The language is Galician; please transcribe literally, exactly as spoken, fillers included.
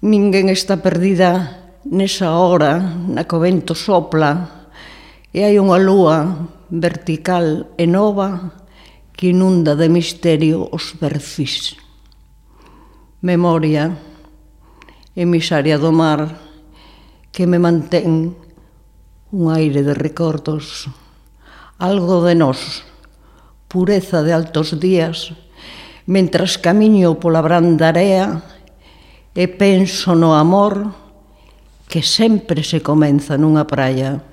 Ninguén está perdida nesa hora na que o vento sopla e hai unha lúa vertical e nova que inunda de misterio os perfis. Memoria, emisaria do mar, que me mantén un aire de recordos, algo de nós, pureza de altos días, mentras camiño pola branda area e penso no amor que sempre se comeza nunha praia.